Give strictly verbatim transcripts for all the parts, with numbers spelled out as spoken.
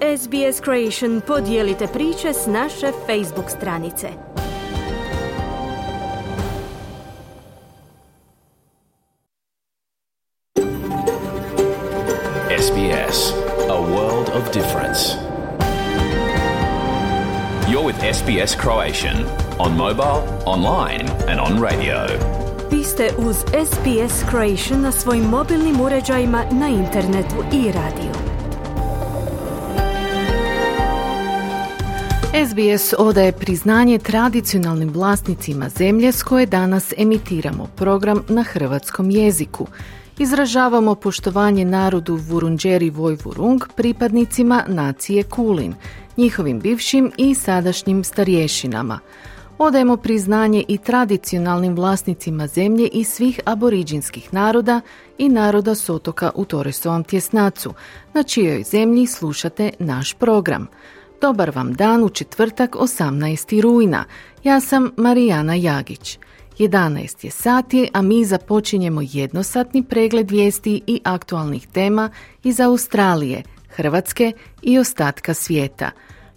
S B S Creation podijelite priče s naše Facebook stranice. S B S, a world of difference. You're with S B S Croatian on mobile, online and on radio. Vi ste uz S B S Croatian na svojim mobilnim uređajima, na internetu i radiju. S B S odaje priznanje tradicionalnim vlasnicima zemlje s koje danas emitiramo program na hrvatskom jeziku. Izražavamo poštovanje narodu Vurundjeri Vojvurung, pripadnicima nacije Kulin, njihovim bivšim i sadašnjim starješinama. Odajemo priznanje i tradicionalnim vlasnicima zemlje i svih aboriđinskih naroda i naroda s otoka u Torresovom tjesnacu, na čijoj zemlji slušate naš program. Dobar vam dan u četvrtak osamnaestog rujna. Ja sam Marijana Jagić. jedanaest je sati, a mi započinjemo jednosatni pregled vijesti i aktualnih tema iz Australije, Hrvatske i ostatka svijeta.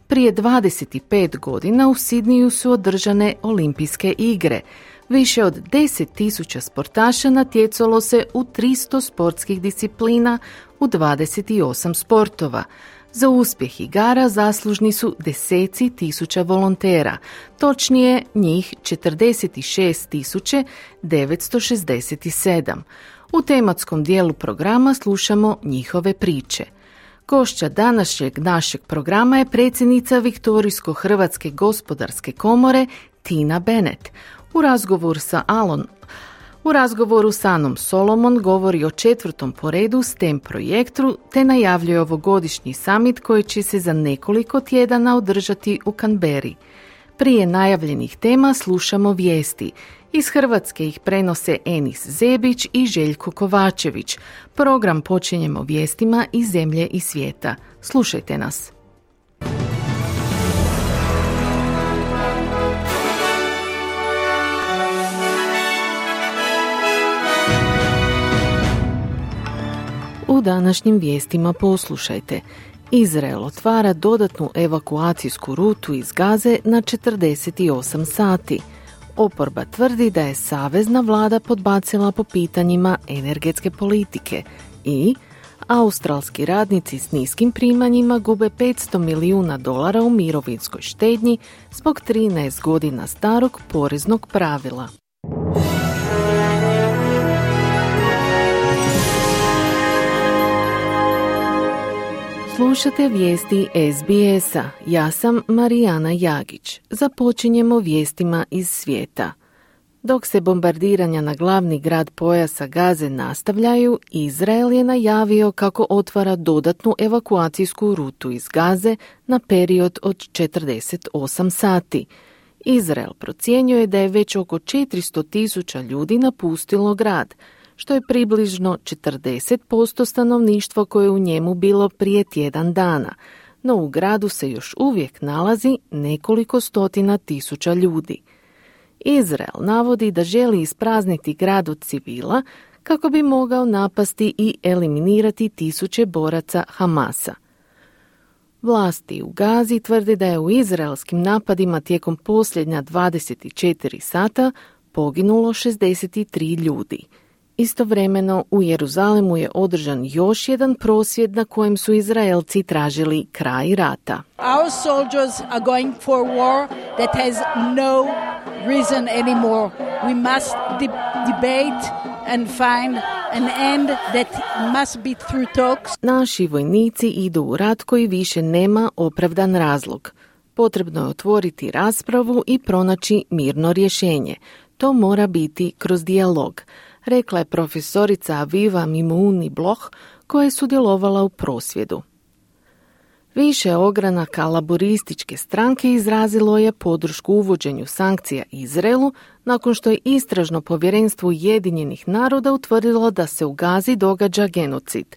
Prije dvadeset pet godina u Sidniju su održane olimpijske igre. Više od deset tisuća sportaša natjecalo se u tristo sportskih disciplina u dvadeset osam sportova. Za uspjeh igara zaslužni su deseci tisuća volontera, točnije njih četrdeset šest tisuća devetsto šezdeset sedam. U tematskom dijelu programa slušamo njihove priče. Gošća današnjeg našeg programa je predsjednica Viktorijsko-Hrvatske gospodarske komore Tina Bennett. U razgovoru sa Alon U razgovoru s Anom Solomon govori o četvrtom po redu S T E M projektu te najavljuje ovogodišnji summit koji će se za nekoliko tjedana održati u Canberri. Prije najavljenih tema slušamo vijesti. Iz Hrvatske ih prenose Enis Zebić i Željko Kovačević. Program počinjemo vijestima iz zemlje i svijeta. Slušajte nas. U današnjim vijestima poslušajte. Izrael otvara dodatnu evakuacijsku rutu iz Gaze na četrdeset osam sati. Oporba tvrdi da je savezna vlada podbacila po pitanjima energetske politike i australski radnici s niskim primanjima gube petsto milijuna dolara u mirovinskoj štednji zbog trinaest godina starog poreznog pravila. Slušate vijesti S B S-a. Ja sam Marijana Jagić. Započinjemo vijestima iz svijeta. Dok se bombardiranja na glavni grad pojasa Gaze nastavljaju, Izrael je najavio kako otvara dodatnu evakuacijsku rutu iz Gaze na period od četrdeset osam sati. Izrael procjenjuje da je već oko četiristo tisuća ljudi napustilo grad, što je približno četrdeset posto stanovništva koje je u njemu bilo prije tjedan dana, no u gradu se još uvijek nalazi nekoliko stotina tisuća ljudi. Izrael navodi da želi isprazniti grad od civila kako bi mogao napasti i eliminirati tisuće boraca Hamasa. Vlasti u Gazi tvrde da je u izraelskim napadima tijekom posljednja dvadeset četiri sata poginulo šezdeset tri ljudi. Istovremeno u Jeruzalemu je održan još jedan prosvjed na kojem su Izraelci tražili kraj rata. Our soldiers are going for a war that has no reason anymore. We must de- debate and find an end that must be through talks. Naši vojnici idu u rat koji više nema opravdan razlog. Potrebno je otvoriti raspravu i pronaći mirno rješenje. To mora biti kroz dijalog, rekla je profesorica Aviva Mimouni Bloch koja je sudjelovala u prosvjedu. Više ogranaka laborističke stranke izrazilo je podršku uvođenju sankcija Izraelu nakon što je istražno povjerenstvo Ujedinjenih naroda utvrdilo da se u Gazi događa genocid.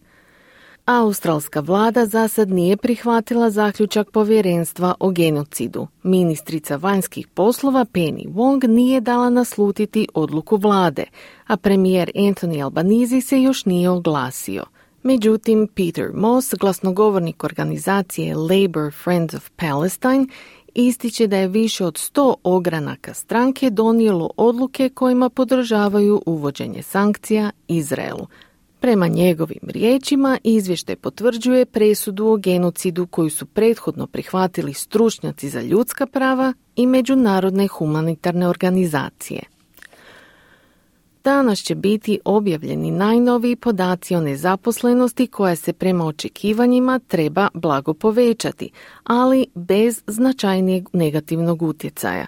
Australska vlada za sad nije prihvatila zaključak povjerenstva o genocidu. Ministrica vanjskih poslova Penny Wong nije dala naslutiti odluku vlade, a premijer Anthony Albanese se još nije oglasio. Međutim, Peter Moss, glasnogovornik organizacije Labour Friends of Palestine, ističe da je više od sto ogranaka stranke donijelo odluke kojima podržavaju uvođenje sankcija Izraelu. Prema njegovim riječima, izvještaj potvrđuje presudu o genocidu koju su prethodno prihvatili stručnjaci za ljudska prava i međunarodne humanitarne organizacije. Danas će biti objavljeni najnoviji podaci o nezaposlenosti koja se prema očekivanjima treba blago povećati, ali bez značajnijeg negativnog utjecaja.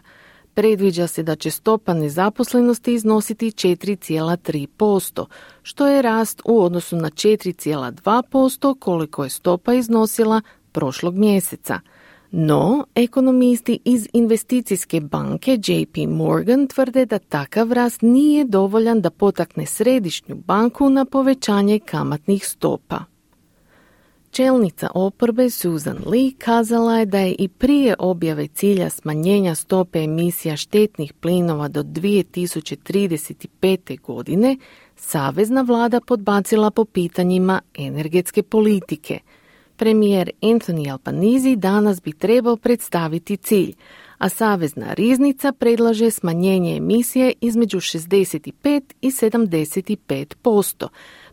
Predviđa se da će stopa nezaposlenosti iznositi četiri zarez tri posto, što je rast u odnosu na četiri zarez dva posto koliko je stopa iznosila prošlog mjeseca. No, ekonomisti iz investicijske banke J P Morgan tvrde da takav rast nije dovoljan da potakne središnju banku na povećanje kamatnih stopa. Čelnica oporbe Susan Lee kazala je da je i prije objave cilja smanjenja stope emisija štetnih plinova do dvije tisuće trideset pete. godine savezna vlada podbacila po pitanjima energetske politike. Premijer Anthony Albanese danas bi trebao predstaviti cilj, a Savezna riznica predlaže smanjenje emisije između šezdeset pet i sedamdeset pet posto,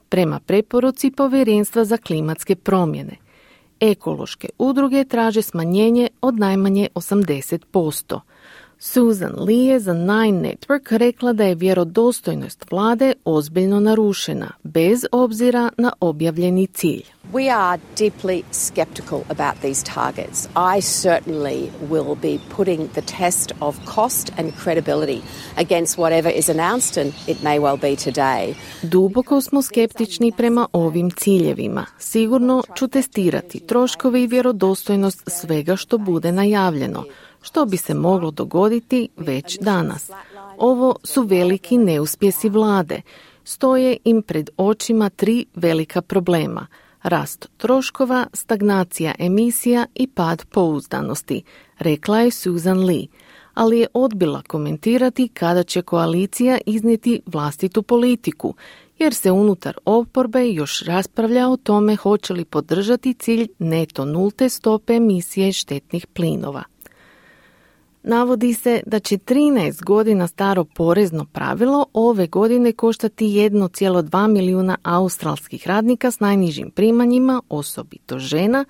prema preporuci Povjerenstva za klimatske promjene. Ekološke udruge traže smanjenje od najmanje osamdeset posto. Susan Lee je za Nine Network rekla da je vjerodostojnost vlade ozbiljno narušena, bez obzira na objavljeni cilj. We are deeply skeptical about these targets. I certainly will be putting the test of cost and credibility against whatever is announced, and it may well be today. Duboko smo skeptični prema ovim ciljevima. Sigurno ću testirati troškove i vjerodostojnost svega što bude najavljeno, što bi se moglo dogoditi već danas. Ovo su veliki neuspjesi vlade. Stoje im pred očima tri velika problema: rast troškova, stagnacija emisija i pad pouzdanosti, rekla je Susan Lee, ali je odbila komentirati kada će koalicija iznijeti vlastitu politiku, jer se unutar oporbe još raspravlja o tome hoće li podržati cilj neto nulte stope emisije štetnih plinova. Navodi se da će trinaest godina staro porezno pravilo ove godine koštati jedan zarez dva milijuna australskih radnika s najnižim primanjima, osobito žena,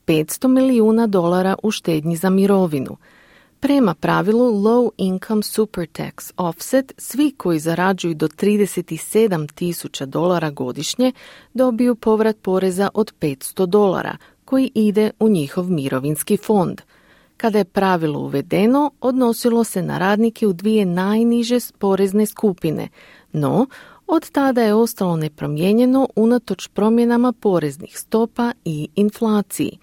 petsto milijuna dolara u štednji za mirovinu. Prema pravilu Low Income Super Tax Offset, svi koji zarađuju do trideset sedam tisuća dolara godišnje dobiju povrat poreza od petsto dolara, koji ide u njihov mirovinski fond. Kada je pravilo uvedeno, odnosilo se na radnike u dvije najniže porezne skupine, no od tada je ostalo nepromijenjeno unatoč promjenama poreznih stopa i inflaciji.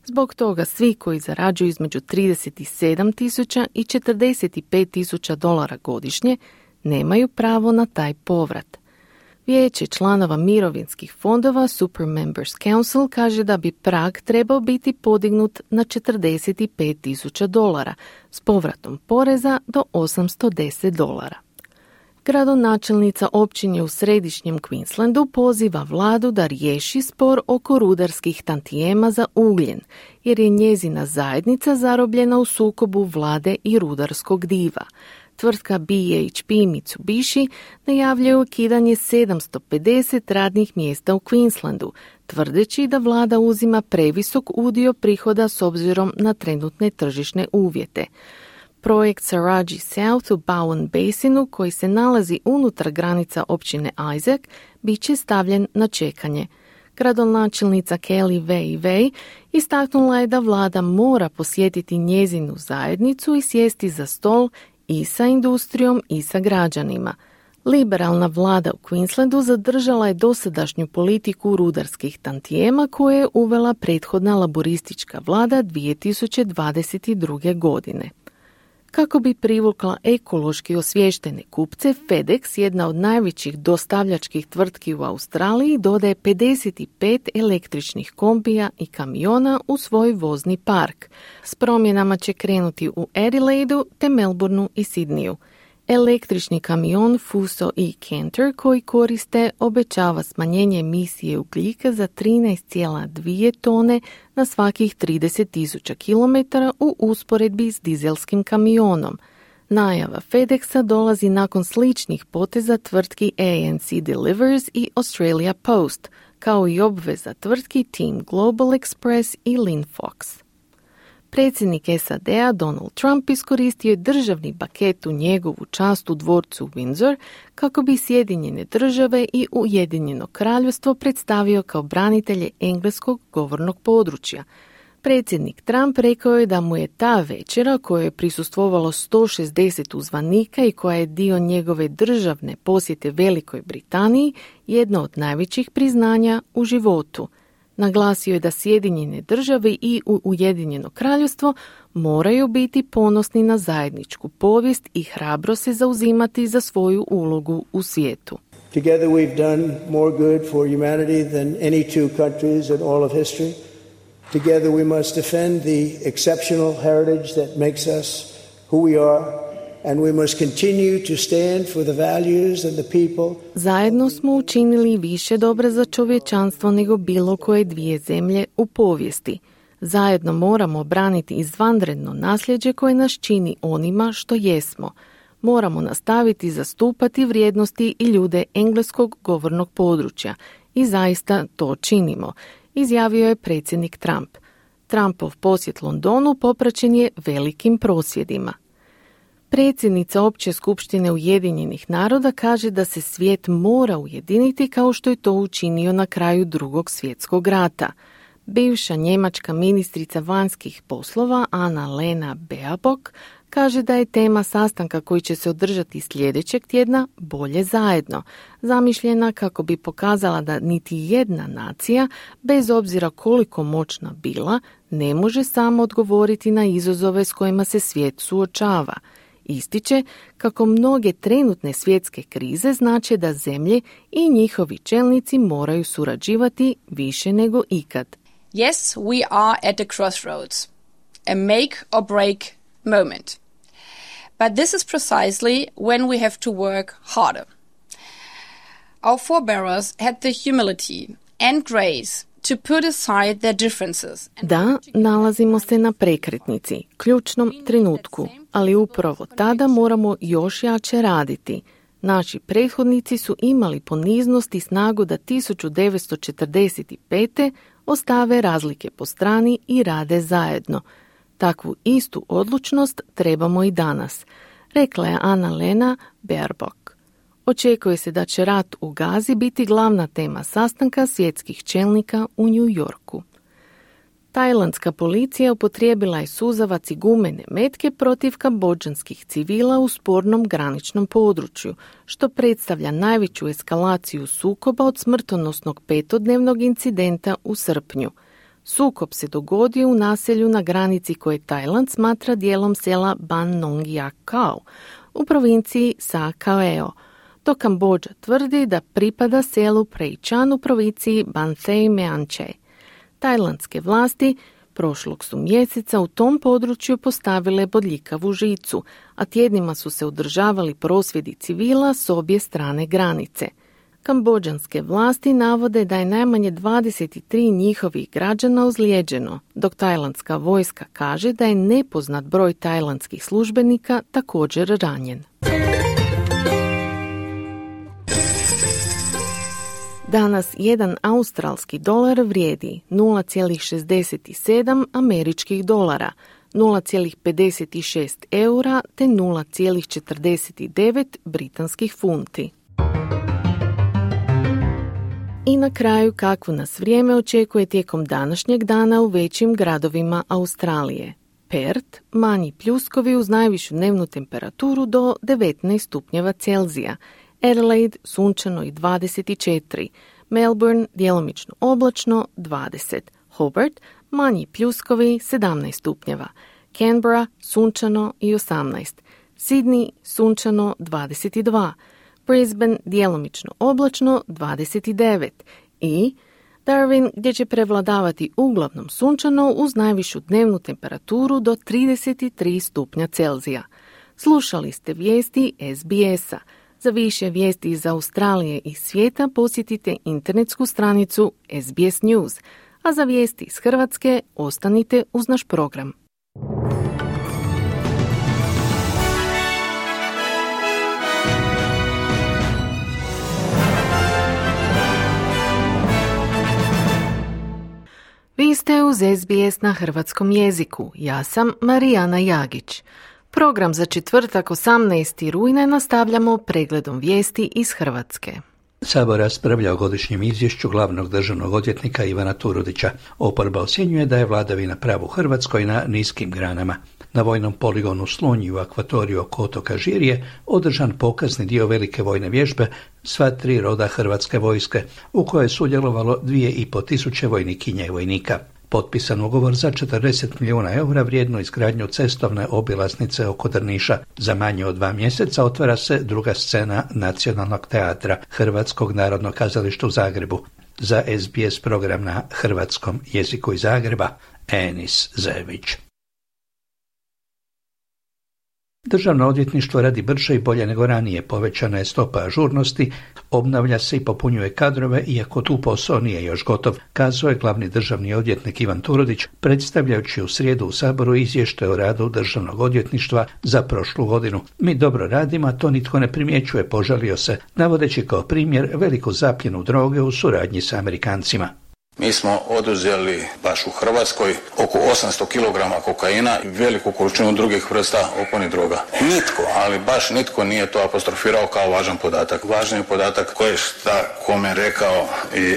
Zbog toga svi koji zarađuju između trideset sedam tisuća i četrdeset pet tisuća dolara godišnje nemaju pravo na taj povrat. Vijeće članova mirovinskih fondova Super Members Council kaže da bi prag trebao biti podignut na četrdeset pet tisuća dolara s povratom poreza do osamsto deset dolara. Gradonačelnica općine u središnjem Queenslandu poziva vladu da riješi spor oko rudarskih tantijema za ugljen, jer je njezina zajednica zarobljena u sukobu vlade i rudarskog diva. Tvrtka B H P Mitsubishi najavljuje ukidanje sedamsto pedeset radnih mjesta u Queenslandu, tvrdeći da vlada uzima previsok udio prihoda s obzirom na trenutne tržišne uvjete. Projekt Saraji South u Bowen Basinu, koji se nalazi unutar granica općine Isaac, bit će stavljen na čekanje. Gradonačelnica Kelly Wei Wei istaknula je da vlada mora posjetiti njezinu zajednicu i sjesti za stol i sa industrijom i sa građanima. Liberalna vlada u Queenslandu zadržala je dosadašnju politiku rudarskih tantijema koje je uvela prethodna laboristička vlada dvije tisuće dvadeset druge. godine. Kako bi privukla ekološki osviještene kupce, FedEx, jedna od najvećih dostavljačkih tvrtki u Australiji, dodaje pedeset pet električnih kombija i kamiona u svoj vozni park. S promjenama će krenuti u Adelaidu te Melbourneu i Sydneyu. Električni kamion Fuso i Canter koji koriste obećava smanjenje emisije ugljika za trinaest zarez dvije tone na svakih trideset tisuća kilometara u usporedbi s dizelskim kamionom. Najava FedExa dolazi nakon sličnih poteza tvrtki A N C Delivers i Australia Post, kao i obveza tvrtki Team Global Express i Linfox. Predsjednik S A D-a Donald Trump iskoristio je državni paket u njegovu čast u dvorcu Windsor kako bi Sjedinjene države i Ujedinjeno kraljevstvo predstavio kao branitelje engleskog govornog područja. Predsjednik Trump rekao je da mu je ta večera, kojoj je prisustvovalo sto šezdeset uzvanika i koja je dio njegove državne posjete Velikoj Britaniji, jedno od najvećih priznanja u životu. Naglasio je da Sjedinjene države i Ujedinjeno kraljevstvo moraju biti ponosni na zajedničku povijest i hrabro se zauzimati za svoju ulogu u svijetu. Together we've done more good for humanity than any two countries in all of history. Together we must defend the exceptional heritage that makes us who we are, and we must continue to stand for the values and the people. Zajedno smo učinili više dobra za čovječanstvo nego bilo koje dvije zemlje u povijesti. Zajedno moramo braniti izvanredno nasljeđe koje nas čini onima što jesmo. Moramo nastaviti zastupati vrijednosti i ljude engleskog govornog područja i zaista to činimo, izjavio je predsjednik Trump. Trumpov posjet Londonu popraćen je velikim prosvjedima. Predsjednica Opće skupštine Ujedinjenih naroda kaže da se svijet mora ujediniti kao što je to učinio na kraju Drugog svjetskog rata. Bivša njemačka ministrica vanjskih poslova Anna-Lena Baerbock kaže da je tema sastanka koji će se održati sljedećeg tjedna bolje zajedno, zamišljena kako bi pokazala da niti jedna nacija, bez obzira koliko moćna bila, ne može samo odgovoriti na izazove s kojima se svijet suočava. Ističe kako mnoge trenutne svjetske krize znače da zemlje i njihovi čelnici moraju surađivati više nego ikad. Yes, we are at a crossroads, a make or break moment. But this is precisely when we have to work harder. Our forebears had the humility and grace to put aside their differences. Da, nalazimo se na prekretnici, ključnom trenutku, ali upravo tada moramo još jače raditi. Naši prethodnici su imali poniznost i snagu da tisuću devetsto četrdeset pete. ostave razlike po strani i rade zajedno. Takvu istu odlučnost trebamo i danas, rekla je Anna-Lena Baerbock. Očekuje se da će rat u Gazi biti glavna tema sastanka svjetskih čelnika u New Yorku. Tajlandska policija upotrijebila je suzavac i gumene metke protiv kambodžanskih civila u spornom graničnom području, što predstavlja najveću eskalaciju sukoba od smrtonosnog petodnevnog incidenta u srpnju. Sukob se dogodio u naselju na granici koje Tajland smatra dijelom sela Ban Nong Yak Kao u provinciji Sa Kaeo, dok Kambodža tvrdi da pripada selu Prejčan u provinciji Ban Thei Meanchey. Tajlandske vlasti prošlog su mjeseca u tom području postavile bodljikavu žicu, a tjednima su se održavali prosvjedi civila s obje strane granice. Kambodžanske vlasti navode da je najmanje dvadeset tri njihovih građana ozlijeđeno, dok tajlandska vojska kaže da je nepoznat broj tajlandskih službenika također ranjen. Danas jedan australski dolar vrijedi nula zarez šezdeset sedam američkih dolara, nula zarez pedeset šest eura te nula zarez četrdeset devet britanskih funti. I na kraju kakvo nas vrijeme očekuje tijekom današnjeg dana u većim gradovima Australije. Perth, manji pljuskovi uz najvišu dnevnu temperaturu do devetnaest stupnjeva Celzija. Adelaide, sunčano i dvadeset četiri. Melbourne, djelomično oblačno, dvadeset. Hobart, manji pljuskovi, sedamnaest stupnjeva. Canberra, sunčano i osamnaest. Sydney, sunčano, dvadeset dva. Brisbane, djelomično oblačno, dvadeset devet. I Darwin, gdje će prevladavati uglavnom sunčano uz najvišu dnevnu temperaturu do trideset tri stupnja Celzija. Slušali ste vijesti S B S-a. Za više vijesti iz Australije i svijeta posjetite internetsku stranicu S B S News, a za vijesti iz Hrvatske ostanite uz naš program. Vi ste uz S B S na hrvatskom jeziku. Ja sam Marijana Jagić. Program za četvrtak osamnaestog rujna nastavljamo pregledom vijesti iz Hrvatske. Sabor raspravlja o godišnjem izvješću glavnog državnog odvjetnika Ivana Turudića. Oporba ocjenjuje da je vladavina prava u Hrvatskoj na niskim granama. Na vojnom poligonu Slunj u akvatoriju oko otoka Žirje održan pokazni dio velike vojne vježbe sva tri roda Hrvatske vojske, u kojoj je sudjelovalo dvije i po tisuće vojnikinja i vojnika. Potpisan ugovor za četrdeset milijuna eura vrijednu izgradnju cestovne obilaznice oko Drniša. Za manje od dva mjeseca otvara se druga scena Nacionalnog teatra Hrvatskog narodnog kazališta u Zagrebu. Za S B S program na hrvatskom jeziku iz Zagreba, Enis Zević. Državno odvjetništvo radi brže i bolje nego ranije, povećana je stopa ažurnosti, obnavlja se i popunjuje kadrove, iako tu posao nije još gotov, kazao je glavni državni odvjetnik Ivan Turudić, predstavljajući u srijedu u Saboru izvještaj o radu Državnog odvjetništva za prošlu godinu. Mi dobro radimo, a to nitko ne primjećuje, požalio se, navodeći kao primjer veliku zapljenu droge u suradnji sa Amerikancima. Mi smo oduzeli baš u Hrvatskoj oko osamsto kilograma kokaina i veliku količinu drugih vrsta opojnih droga. Nitko, ali baš nitko nije to apostrofirao kao važan podatak. Važan je podatak ko je šta kome rekao i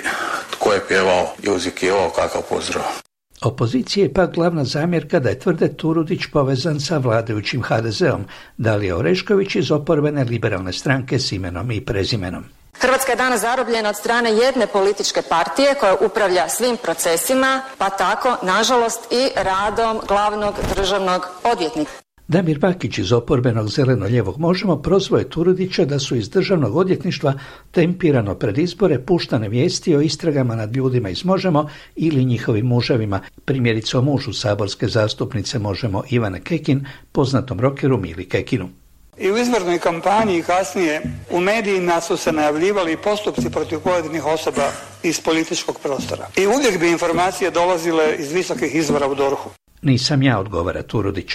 tko je pjevao i uzvikivao kakav pozdrav. Opozicija je pak glavna zamjerka da je tvrde Turudić povezan sa vladajućim H D Z-om, Dalija Orešković iz oporbene liberalne stranke s imenom i prezimenom. Hrvatska je danas zarobljena od strane jedne političke partije koja upravlja svim procesima, pa tako, nažalost, i radom glavnog državnog odvjetnika. Damir Bakić iz oporbenog zeleno-ljevog Možemo prozvao je Turudića da su iz državnog odvjetništva tempirano pred izbore puštane vijesti o istragama nad ljudima iz Možemo ili njihovim muževima, primjerice o mužu saborske zastupnice Možemo Ivane Kekin, poznatom rokeru Mili Kekinu. I u izbornoj kampanji i kasnije u medijima su se najavljivali postupci protiv pojedinih osoba iz političkog prostora. I uvijek bi informacije dolazile iz visokih izvora u D O R H-u. Nisam ja, odgovara Turudić.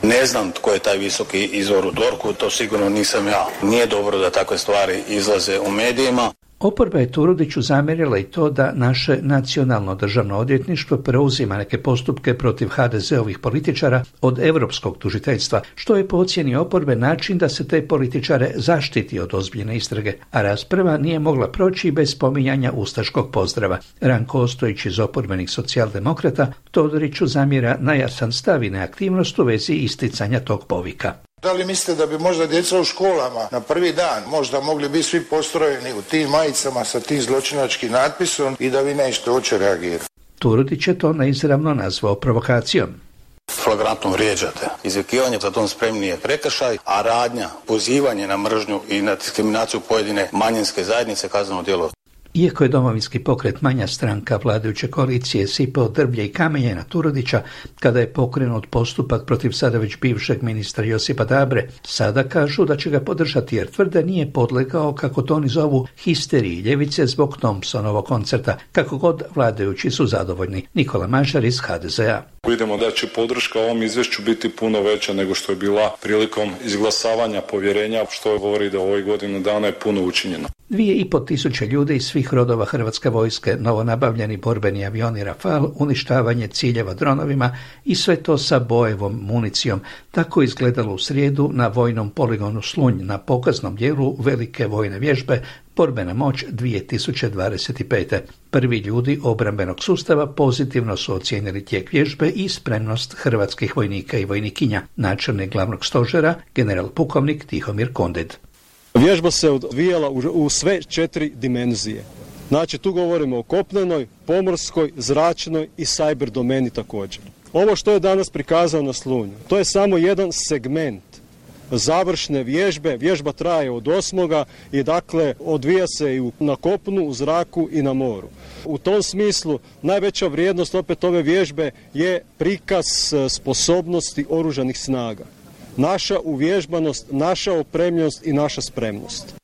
Ne znam tko je taj visoki izvor u D O R H-u, to sigurno nisam ja. Nije dobro da takve stvari izlaze u medijima. Oporba je Turudiću zamjerila i to da naše nacionalno državno odvjetništvo preuzima neke postupke protiv H D Z-ovih političara od europskog tužiteljstva, što je po ocjeni oporbe način da se te političare zaštiti od ozbiljne istrage, a rasprava nije mogla proći bez spominjanja ustaškog pozdrava. Ranko Ostojić iz oporbenih socijaldemokrata Todoriću zamjera najasan stav i neaktivnost u vezi isticanja tog povika. Da li mislite da bi možda djeca u školama na prvi dan možda mogli biti svi postrojeni u tim majicama sa tim zločinačkim natpisom i da vi nećete uopće reagirati? Turudić je to neizravno nazvao provokacijom. Flagrantno vrijeđate. Izvikivanje za tom spremni je prekršaj, a radnja, pozivanje na mržnju i na diskriminaciju pojedine manjinske zajednice kazneno djelo. Iako je Domovinski pokret manja stranka vladajuće koalicije sipao drvlje i kamenje na Turudića kada je pokrenut postupak protiv sada već bivšeg ministra Josipa Dabre, sada kažu da će ga podržati jer tvrde nije podlegao, kako to oni zovu, histeriji ljevice zbog Thompsonovog koncerta. Kako god, vladajući su zadovoljni. Nikola Mažar iz H D Z-a. Vidimo da će podrška ovom izvješću biti puno veća nego što je bila prilikom izglasavanja povjerenja, što govori da u ovoj godinu dana je puno učinjeno. Dvije i po tisuće ljudi iz svih rodova Hrvatske vojske, novonabavljeni borbeni avioni Rafale, uništavanje ciljeva dronovima i sve to sa bojevom municijom. Tako izgledalo u srijedu na vojnom poligonu Slunj na pokaznom dijelu velike vojne vježbe Borbena moć dvije tisuće dvadeset pete. Prvi ljudi obrambenog sustava pozitivno su ocijenili tijek vježbe i spremnost hrvatskih vojnika i vojnikinja. Načelnik glavnog stožera, general pukovnik Tihomir Konded. Vježba se odvijala u sve četiri dimenzije. Znači tu govorimo o kopnenoj, pomorskoj, zračnoj i cyber domeni također. Ovo što je danas prikazano na Slunju, to je samo jedan segment završne vježbe. Vježba traje od osmoga i dakle odvija se i na kopnu, u zraku i na moru. U tom smislu najveća vrijednost opet ove vježbe je prikaz sposobnosti oružanih snaga. naša uvježbanost, naša opremljenost i naša spremnost.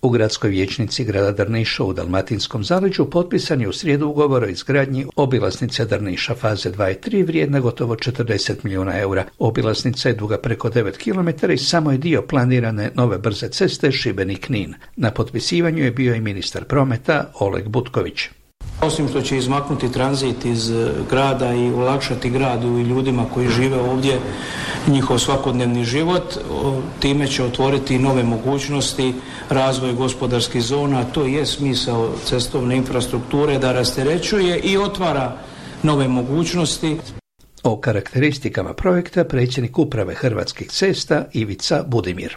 U gradskoj vijećnici grada Drniša u Dalmatinskom zaleđu potpisan je u srijedu ugovor o izgradnji obilaznice Drniša faze dva i tri vrijedna gotovo četrdeset milijuna eura. Obilaznica je duga preko devet kilometara i samo je dio planirane nove brze ceste Šibenik-Knin. Na potpisivanju je bio i ministar prometa Oleg Butković. Osim što će izmaknuti tranzit iz grada i olakšati gradu i ljudima koji žive ovdje njihov svakodnevni život, time će otvoriti nove mogućnosti, razvoj gospodarskih zona. To je smisao cestovne infrastrukture, da rasterećuje i otvara nove mogućnosti. O karakteristikama projekta predsjednik uprave Hrvatskih cesta Ivica Budimir.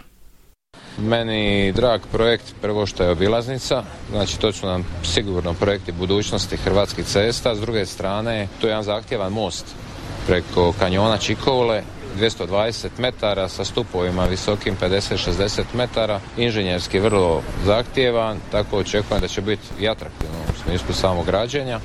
Meni drag projekt, prvo što je obilaznica, znači to su nam sigurno projekti budućnosti Hrvatskih cesta. S druge strane, to je jedan zahtjevan most preko kanjona Čikovle, dvjesto dvadeset metara sa stupovima visokim pedeset šezdeset metara, inženjerski vrlo zahtjevan, tako očekujem da će biti i atraktivno u smislu samog građenja.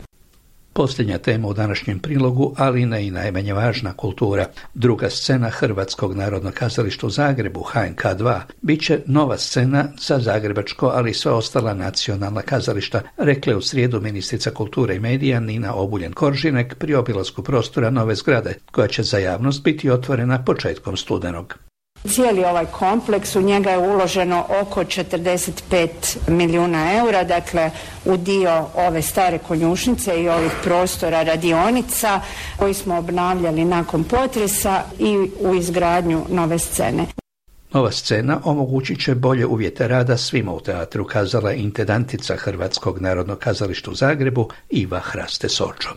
Posljednja tema u današnjem prilogu, ali ne i najmanje važna, kultura. Druga scena Hrvatskog narodnog kazališta u Zagrebu, H N K dva, bit će nova scena za zagrebačko, ali i sva ostala nacionalna kazališta, rekla je u srijedu ministrica kulture i medija Nina Obuljen-Koržinek pri obilasku prostora nove zgrade, koja će za javnost biti otvorena početkom studenog. Cijeli ovaj kompleks, u njega je uloženo oko četrdeset pet milijuna eura, dakle u dio ove stare konjušnice i ovih prostora radionica koji smo obnavljali nakon potresa i u izgradnju nove scene. Nova scena omogućit će bolje uvjete rada svima u teatru, kazala intendantica Hrvatskog narodnog kazališta u Zagrebu Iva Hraste-Sočo.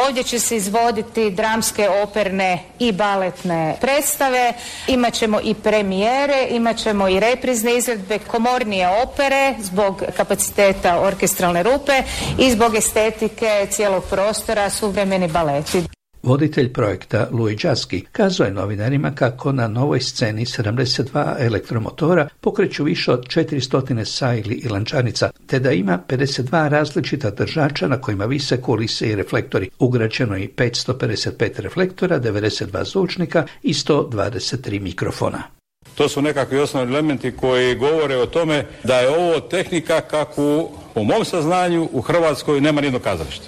Ovdje će se izvoditi dramske, operne i baletne predstave, imat ćemo i premijere, imat ćemo i reprizne izvedbe komornije opere zbog kapaciteta orkestralne rupe i zbog estetike cijelog prostora suvremeni baleti. Voditelj projekta Luj Đaski kazao je novinarima kako na novoj sceni sedamdeset dva elektromotora pokreću više od četiristo sajli i lančanica, te da ima pedeset dva različita držača na kojima vise kulise i reflektori. Ugrađeno je petsto pedeset pet reflektora, devedeset dva zvučnika i sto dvadeset tri mikrofona. To su nekakvi osnovni elementi koji govore o tome da je ovo tehnika kakvu, po mom saznanju, u Hrvatskoj nema nijedno kazalište.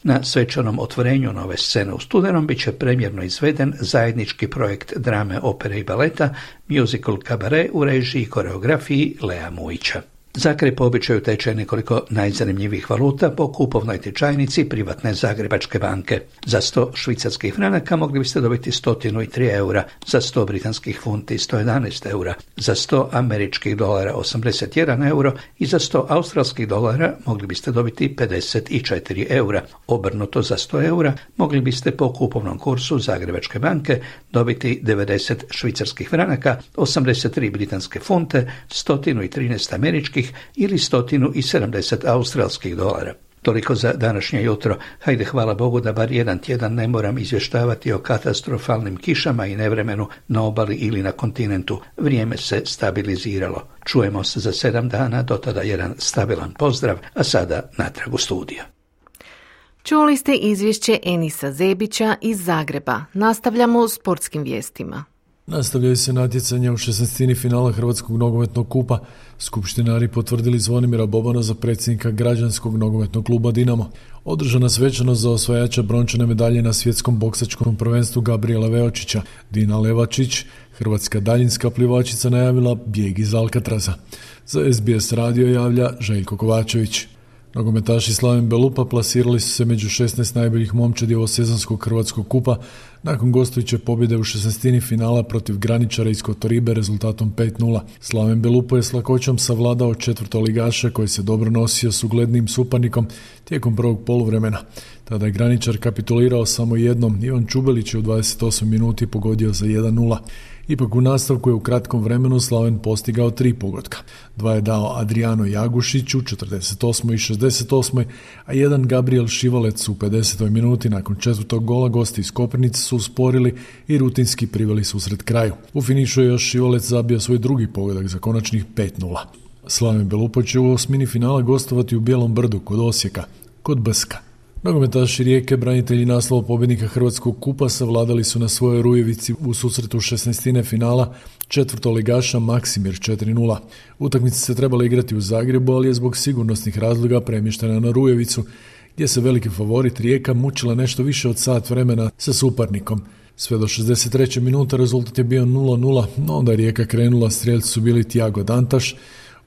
Na svečanom otvorenju nove scene u studenom bit će premjerno izveden zajednički projekt drame, opere i baleta, musical Kabare u režiji i koreografiji Lea Mujića. Zagreb po običaju teče nekoliko najzanimljivih valuta po kupovnoj tečajnici privatne Zagrebačke banke. Za sto švicarskih franaka mogli biste dobiti sto tri eura, za sto britanskih funti sto jedanaest eura, za sto američkih dolara osamdeset jedan euro i za sto australskih dolara mogli biste dobiti pedeset četiri eura. Obrnuto, za sto eura mogli biste po kupovnom kursu Zagrebačke banke dobiti devedeset švicarskih franaka, osamdeset tri britanske funte, sto trinaest američkih ili sto sedamdeset australskih dolara. Toliko za današnje jutro. Hajde, hvala Bogu da bar jedan tjedan ne moram izvještavati o katastrofalnim kišama i nevremenu na obali ili na kontinentu. Vrijeme se stabiliziralo. Čujemo se za sedam dana, do tada jedan stabilan pozdrav, a sada natrag u studiju. Čuli ste izvješće Enisa Zebića iz Zagreba. Nastavljamo s sportskim vijestima. Nastavljaju se natjecanja u šesnaestini finala Hrvatskog nogometnog kupa. Skupštinari potvrdili Zvonimira Bobana za predsjednika građanskog nogometnog kluba Dinamo. Održana svečanost za osvajača brončane medalje na svjetskom boksačkom prvenstvu Gabriela Veočića. Dina Levačić, hrvatska daljinska plivačica, najavila bijeg iz Alcatraza. Za S B S radio javlja Željko Kovačević. Nogometaši Slaven Belupa plasirali su se među šesnaest najboljih momčadi ovosezonskog Hrvatskog kupa nakon gostujuće pobjede u šesnaestini finala protiv Graničara iz Kotoribe rezultatom pet nula. Slaven Belupa je s lakoćom savladao četvrtoligaša koji se dobro nosio s uglednim suparnikom tijekom prvog poluvremena. Tada je Graničar kapitulirao samo jednom. Ivan Čubelić je u dvadeset osmoj minuti pogodio za jedan nula. Ipak u nastavku je u kratkom vremenu Slaven postigao tri pogotka. Dva je dao Adriano Jagušić u četrdeset osmoj i šezdeset osmoj, a jedan Gabriel Šivalec u pedesetoj minuti. Nakon četvrtog gola gosti iz Koprivnice su usporili i rutinski priveli susret kraju. U finišu je još Šivalec zabio svoj drugi pogodak za konačnih pet nula. Slaven Belupa će u osmini finala gostovati u Bijelom Brdu kod Osijeka, kod Brska. Nogometaši Rijeke, branitelji naslova pobjednika Hrvatskog kupa, savladali su na svojoj Rujevici u susretu šesnaestine finala četvrtoligaša Maksimir četiri nula. Utakmica se trebala igrati u Zagrebu, ali je zbog sigurnosnih razloga premještena na Rujevicu, gdje se veliki favorit Rijeka mučila nešto više od sat vremena sa suparnikom. Sve do šezdeset treće minute rezultat je bio nula nula, no onda je Rijeka krenula, strijelci su bili Tiago Dantaš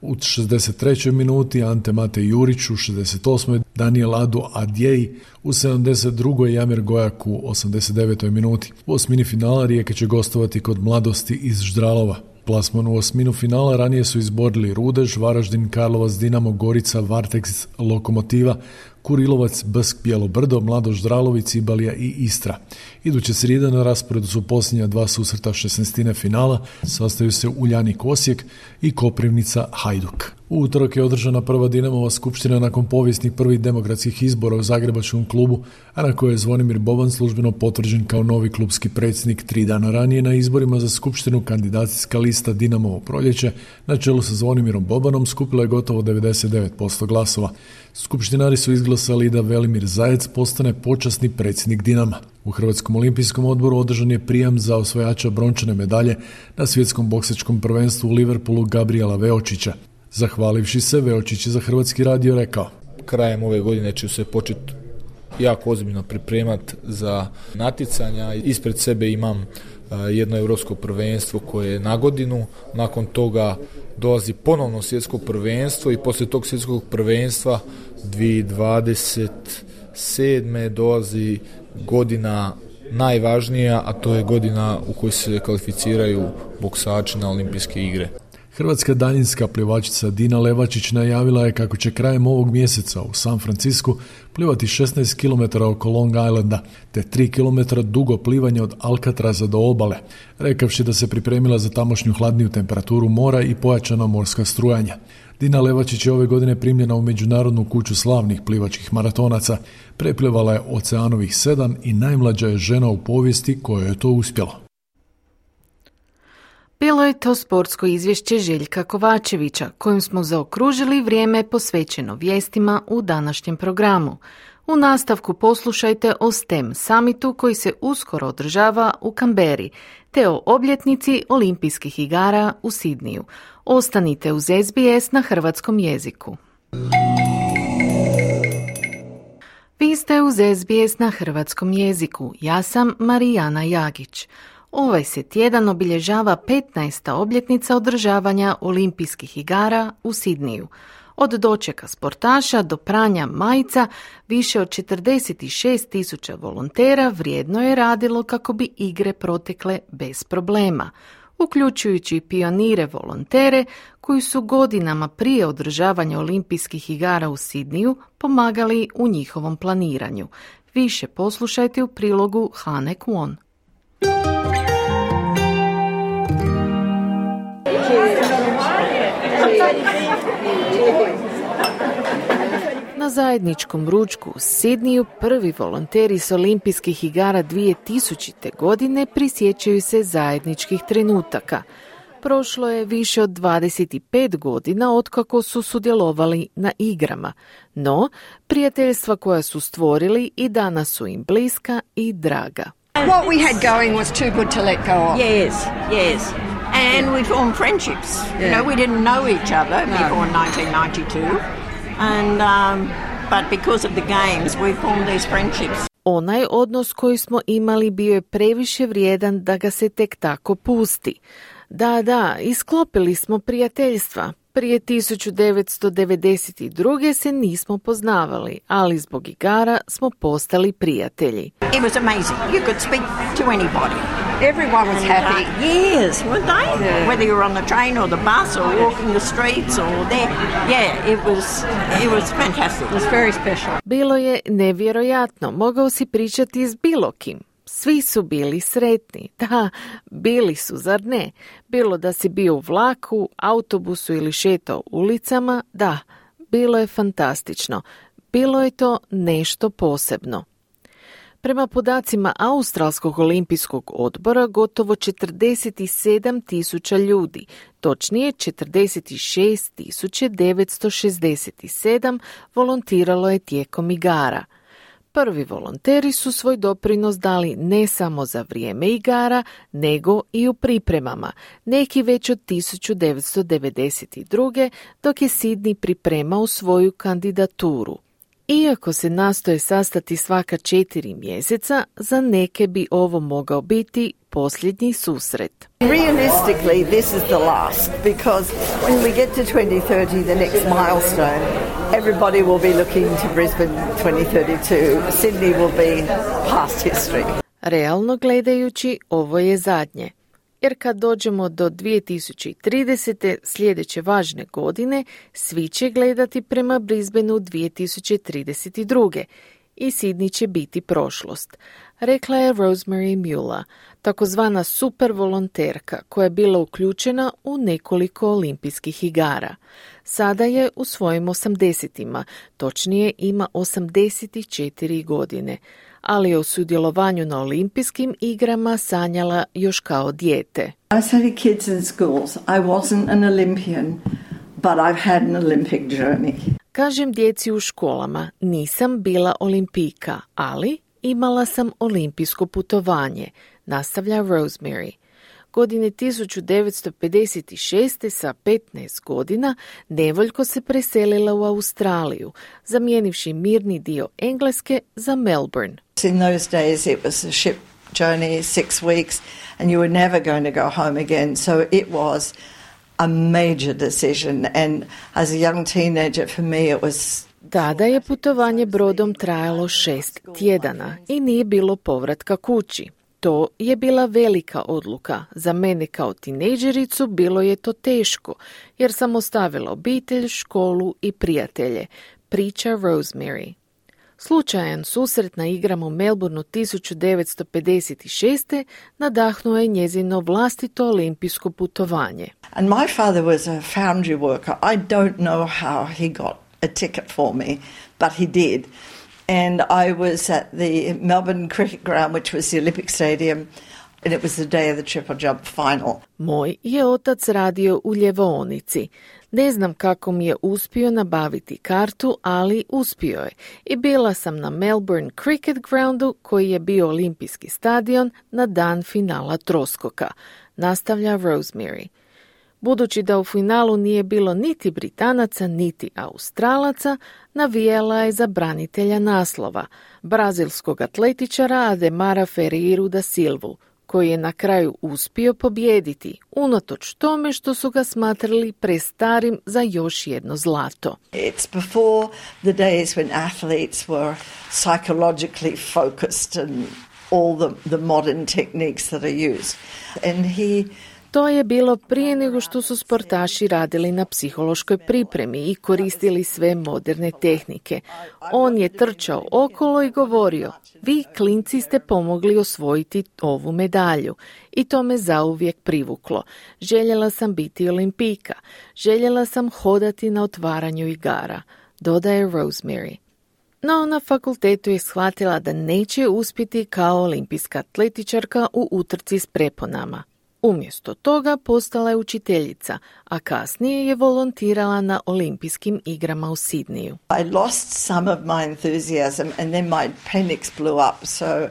u šezdeset trećoj minuti, Ante Mate Jurić u šezdeset osmoj Daniel Adu Adjei u sedamdeset drugoj Jamir Gojak u osamdeset devetoj minuti. U osmini finala Rijeka će gostovati kod Mladosti iz Ždralova. Plasman u osminu finala ranije su izborili Rudež, Varaždin, Karlovac, Dinamo, Gorica, Varteks, Lokomotiva, Kurilovac, Brsk, Bijelo Brdo, Mladoš, Ždralović, Cibalija i Istra. Iduće srijede na rasporedu su posljednja dva susreta šesnaestine finala, sastaju se Uljanik Osijek i Koprivnica Hajduk. U utorak je održana prva Dinamova skupština nakon povijesnih prvih demokratskih izbora u Zagrebačkom klubu, a na kojoj je Zvonimir Boban službeno potvrđen kao novi klubski predsjednik. Tri dana ranije na izborima za skupštinu kandidacijska lista Dinamovo proljeće na čelu sa Zvonimirom Bobanom skupila je gotovo devedeset devet posto glasova. Skupštinari su izglasali da Velimir Zajec postane počasni predsjednik Dinama. U Hrvatskom olimpijskom odboru održan je prijam za osvajača brončane medalje na svjetskom boksačkom prvenstvu u Liverpoolu Gabriela Veočića. Zahvalivši se, Veočić je za Hrvatski radio rekao: krajem ove godine ću se početi jako ozbiljno pripremati za natjecanja. Ispred sebe imam jedno europsko prvenstvo koje je na godinu, nakon toga dolazi ponovno svjetsko prvenstvo i poslije tog svjetskog prvenstva dvije tisuće dvadeset sedme dolazi godina najvažnija, a to je godina u kojoj se kvalificiraju boksači na olimpijske igre. Hrvatska daljinska plivačica Dina Levačić najavila je kako će krajem ovog mjeseca u San Francisku plivati šesnaest kilometara oko Long Islanda, te tri kilometra dugo plivanje od Alcatraza do obale, rekavši da se pripremila za tamošnju hladniju temperaturu mora i pojačana morska strujanja. Dina Levačić je ove godine primljena u Međunarodnu kuću slavnih plivačkih maratonaca, preplivala je oceanovih sedam i najmlađa je žena u povijesti kojoj je to uspjelo. Bilo je to sportsko izvješće Željka Kovačevića, kojim smo zaokružili vrijeme posvećeno vijestima u današnjem programu. U nastavku poslušajte o STEM summitu koji se uskoro održava u Kamberi, te o obljetnici olimpijskih igara u Sidniju. Ostanite uz S B S na hrvatskom jeziku. Vi ste uz S B S na hrvatskom jeziku. Ja sam Marijana Jagić. Ovaj se tjedan obilježava petnaesta obljetnica održavanja olimpijskih igara u Sidniju. Od dočeka sportaša do pranja majica više od četrdeset šest tisuća volontera vrijedno je radilo kako bi igre protekle bez problema, uključujući pionire volontere koji su godinama prije održavanja olimpijskih igara u Sidniju pomagali u njihovom planiranju. Više poslušajte u prilogu Hane Kwon. Na zajedničkom ručku u Sidniju prvi volonteri s olimpijskih igara dvije tisućite. godine prisjećaju se zajedničkih trenutaka. Prošlo je više od dvadeset pet godina otkako su sudjelovali na igrama, no prijateljstva koja su stvorili i danas su im bliska i draga. What we had going was too good to let go of. Yes, yes. And we formed friendships. Yeah. You know, we didn't know each other no. before nineteen ninety-two. And, um, but because of the games, we formed these friendships. Onaj odnos koji smo imali bio je previše vrijedan da ga se tek tako pusti. Da, da, isklopili smo prijateljstva. Prije tisuću devetsto devedeset druge. se nismo poznavali, ali zbog igara smo postali prijatelji. It was amazing. You could speak to anybody. Everyone was happy. Uh, yes, weren't they? Yeah. Whether you were on the train or the bus or walking the streets or there. Yeah, it was, it was fantastic. It was very special. Bilo je nevjerojatno. Mogao si pričati s bilo kim. Svi su bili sretni. Da, bili su, zar ne? Bilo da si bio u vlaku, autobusu ili šetao ulicama, da, bilo je fantastično. Bilo je to nešto posebno. Prema podacima Australskog olimpijskog odbora, gotovo četrdeset sedam tisuća ljudi, točnije četrdeset šest tisuća devetsto šezdeset sedam, volontiralo je tijekom igara. Prvi volonteri su svoj doprinos dali ne samo za vrijeme igara, nego i u pripremama, neki već od tisuću devetsto devedeset druge. dok je Sydney pripremao svoju kandidaturu. Iako se nastoje sastati svaka četiri mjeseca, za neke bi ovo mogao biti posljednji susret. Realistically, this is the last, because when we get to twenty thirty, the next milestone, everybody will be looking to Brisbane twenty thirty-two. Sydney will be past history. Realno gledajući, ovo je zadnje. Jer kad dođemo do dvije tisuće tridesete. sljedeće važne godine, svi će gledati prema Brisbaneu dvije tisuće trideset druge. i Sydney će biti prošlost, rekla je Rosemary Mueller, takozvana super volonterka koja je bila uključena u nekoliko olimpijskih igara. Sada je u svojim osamdesetima, točnije ima osamdeset četiri godine, ali je o sudjelovanju na olimpijskim igrama sanjala još kao dijete. I studied kids in schools. I wasn't an Olympian, but I've had an Olympic journey. Kažem djeci u školama, nisam bila olimpijka, ali imala sam olimpijsko putovanje, nastavlja Rosemary. Godine tisuću devetsto pedeset šeste. sa petnaest godina nevoljko se preselila u Australiju, zamijenivši mirni dio Engleske za Melbourne. In those days it was a ship journey, six weeks, and you were never going to go home again, so it was a major decision, and as a young teenager for me it was... Tada je putovanje brodom trajalo šest tjedana i nije bilo povratka kući. To je bila velika odluka. Za mene kao tinejdžericu bilo je to teško, jer sam ostavila obitelj, školu i prijatelje, priča Rosemary. Slučajan susret na igrama u Melbourneu tisuću devetsto pedeset šeste. nadahnuo je njezino vlastito olimpijsko putovanje. And my father was a foundry worker. I don't know how he got a ticket for me, but he did. And I was at the Melbourne Cricket Ground, which was the Olympic Stadium, and it was the day of the triple jump final. Moj je otac radio u ljevaonici. Ne znam kako mi je uspio nabaviti kartu, ali uspio je. I bila sam na Melbourne Cricket Groundu, koji je bio olimpijski stadion, na dan finala troskoka, nastavlja Rosemary. Budući da u finalu nije bilo niti Britanaca, niti Australaca, navijala je za branitelja naslova, brazilskog atletičara Ademara Ferreiru da Silvu, koji je na kraju uspio pobijediti, unatoč tome što su ga smatrali prestarim za još jedno zlato. It's before the days when athletes were psychologically focused and all the, the modern techniques that are used. And he To je bilo prije nego što su sportaši radili na psihološkoj pripremi i koristili sve moderne tehnike. On je trčao okolo i govorio, vi klinci ste pomogli osvojiti ovu medalju. I to me zauvijek privuklo. Željela sam biti olimpijka. Željela sam hodati na otvaranju igara, dodaje Rosemary. No, na fakultetu je shvatila da neće uspjeti kao olimpijska atletičarka u utrci s preponama. Umjesto toga postala je učiteljica, a kasnije je volontirala na olimpijskim igrama u Sidneju. I lost some of my enthusiasm and then my appendix blew up, so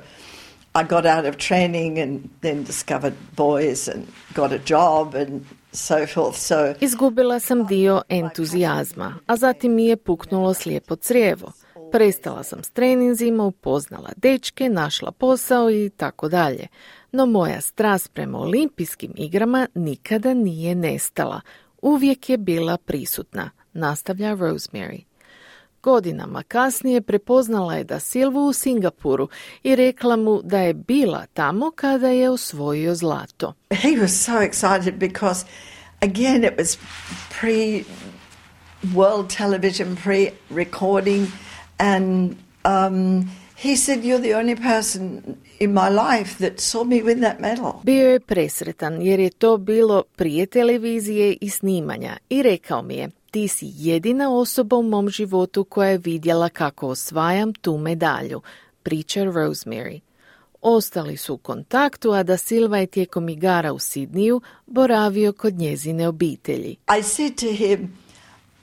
I got out of training and then discovered boys and got a job and so forth. So Izgubila sam dio entuzijazma, a zatim mi je puknulo slijepo crijevo. Prestala sam s treninzima, upoznala dečke, našla posao i tako dalje. No moja strast prema olimpijskim igrama nikada nije nestala. Uvijek je bila prisutna, nastavlja Rosemary. Godinama kasnije prepoznala je da Silvu u Singapuru i rekla mu da je bila tamo kada je osvojio zlato. He was so excited because again it was pre world television, pre recording, and um he said, you're the only person in my life that saw me win that medal. Bio je presretan jer je to bilo prije televizije i snimanja i rekao mi je, ti si jedina osoba u mom životu koja je vidjela kako osvajam tu medalju, priča Rosemary. Ostali su u kontaktu, a da Silva je tijekom igara u Sidneju boravio kod njezine obitelji. I said to him,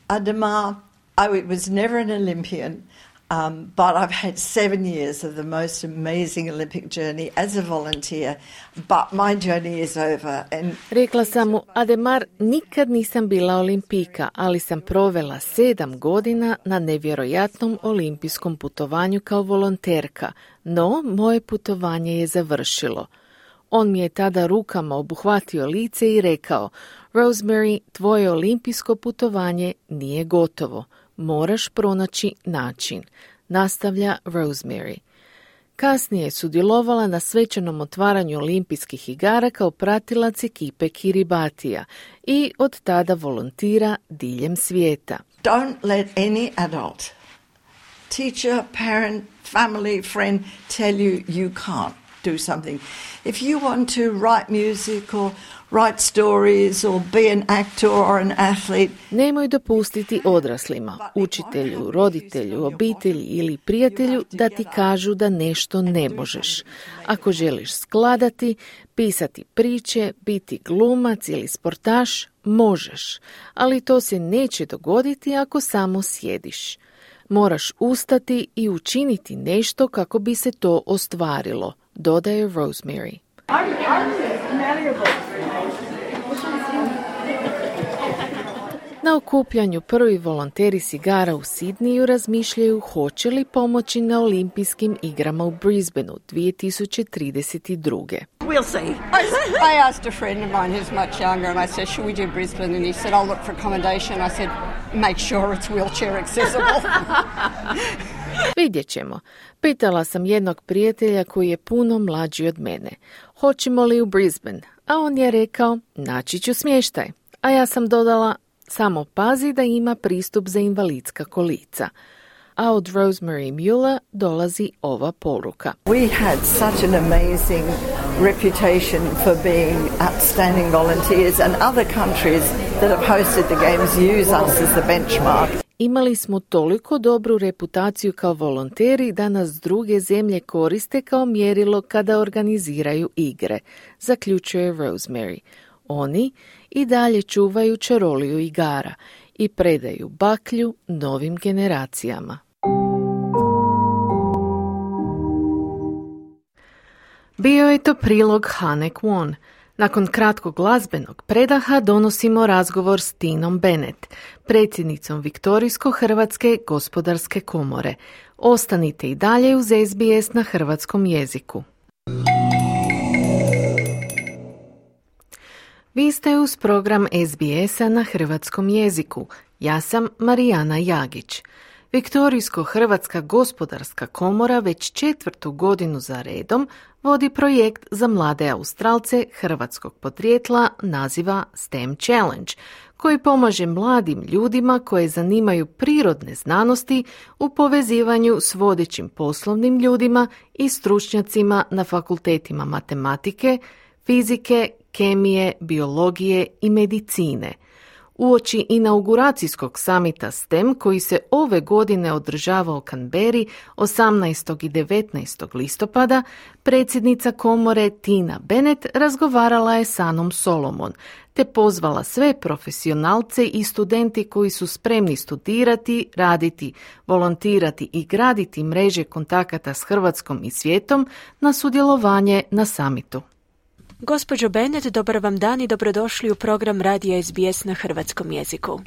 Ademar, I was never an Olympian. Um, but I've had seven years of the most amazing Olympic journey as a volunteer, but my journey is over. And Rekla sam mu, Ademar, nikad nisam bila olimpijka, ali sam provela sedam godina na nevjerojatnom olimpijskom putovanju kao volonterka, no moje putovanje je završilo. On mi je tada rukama obuhvatio lice i rekao, Rosemary, tvoje olimpijsko putovanje nije gotovo. Moraš pronaći način, nastavlja Rosemary. Kasnije je sudjelovala na svečanom otvaranju olimpijskih igara kao pratilac ekipe Kiribatija i od tada volontira diljem svijeta. Don't let any adult, teacher, parent, family, friend tell you you can't do something. If you want to write music or write stories or be an actor or an athlete. Nemoj dopustiti odraslima, učitelju, roditelju, obitelji ili prijatelju da ti kažu da nešto ne možeš. Ako želiš skladati, pisati priče, biti glumac ili sportaš, možeš, ali to se neće dogoditi ako samo sjediš. Moraš ustati i učiniti nešto kako bi se to ostvarilo, dodaje Rosemary. Na okupljanju prvi volonteri s igara u Sidniju razmišljaju hoće li pomoći na olimpijskim igrama u Brisbaneu dvije tisuće trideset druge. We'll see. I, I asked a friend of mine who's much younger and I said, should we do Brisbane? And he said, I'll look for accommodation. I said, make sure it's wheelchair accessible. Vidjet ćemo. Pitala sam jednog prijatelja koji je puno mlađi od mene. Hoćemo li u Brisbane? A on je rekao, naći ću smještaj. A ja sam dodala, samo pazi da ima pristup za invalidska kolica. A od Rosemary Mueller dolazi ova poruka. We had such an amazing reputation for being outstanding volunteers and other countries that have hosted the games use us as the benchmark. Imali smo toliko dobru reputaciju kao volonteri da nas druge zemlje koriste kao mjerilo kada organiziraju igre, zaključuje Rosemary. Oni i dalje čuvaju čaroliju igara i predaju baklju novim generacijama. Bio je to prilog Hane Kwon. Nakon kratkog glazbenog predaha donosimo razgovor s Tinom Bennett, predsjednicom Viktorijsko-Hrvatske gospodarske komore. Ostanite i dalje uz S B S na hrvatskom jeziku. Vi ste uz program S B S-a na hrvatskom jeziku. Ja sam Marijana Jagić. Viktorijsko-Hrvatska gospodarska komora već četvrtu godinu za redom vodi projekt za mlade Australce hrvatskog podrijetla naziva S T E M Challenge, koji pomaže mladim ljudima koje zanimaju prirodne znanosti u povezivanju s vodećim poslovnim ljudima i stručnjacima na fakultetima matematike, fizike, kemije, biologije i medicine. Uoči inauguracijskog samita S T E M koji se ove godine održava u Canberri osamnaestog i devetnaestog listopada, predsjednica komore Tina Bennett razgovarala je s Anom Solomon, te pozvala sve profesionalce i studenti koji su spremni studirati, raditi, volontirati i graditi mreže kontakata s Hrvatskom i svijetom na sudjelovanje na samitu. Gospođo Bennett, dobar vam dan i dobrodošli u program Radija S B S na hrvatskom jeziku. Uh,